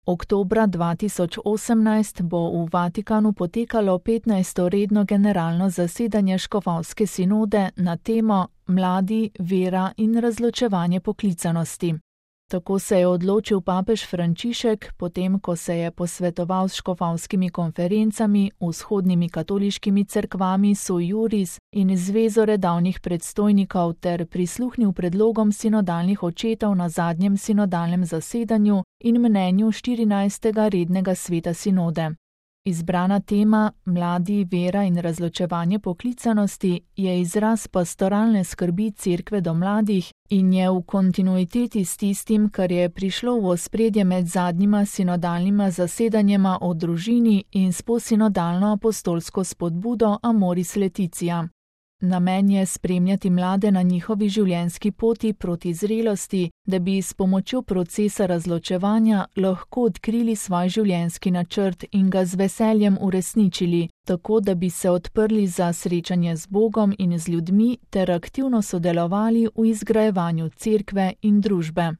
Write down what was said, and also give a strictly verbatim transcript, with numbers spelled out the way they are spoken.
Oktobra dva tisoč osemnajst bo v Vatikanu potekalo petnajsto redno generalno zasedanje škofovske sinode na temo Mladi, vera in razločevanje poklicanosti. Tako se je odločil papež Frančišek, potem ko se je posvetoval s škofovskimi konferencami, vzhodnimi katoliškimi cerkvami Sui Juris in Zvezo redavnih predstojnikov ter prisluhnil predlogom sinodalnih očetov na zadnjem sinodalnem zasedanju in mnenju štirinajstega rednega sveta sinode. Izbrana tema Mladi, vera in razločevanje poklicanosti je izraz pastoralne skrbi Cerkve do mladih in je v kontinuiteti s tistim, kar je prišlo v ospredje med zadnjima sinodalnima zasedanjema o družini in s posinodalno apostolsko spodbudo Amoris Laetitia. Namen je spremljati mlade na njihovi življenjski poti proti zrelosti, da bi s pomočjo procesa razločevanja lahko odkrili svoj življenjski načrt in ga z veseljem uresničili, tako da bi se odprli za srečanje z Bogom in z ljudmi ter aktivno sodelovali v izgrajevanju cerkve in družbe.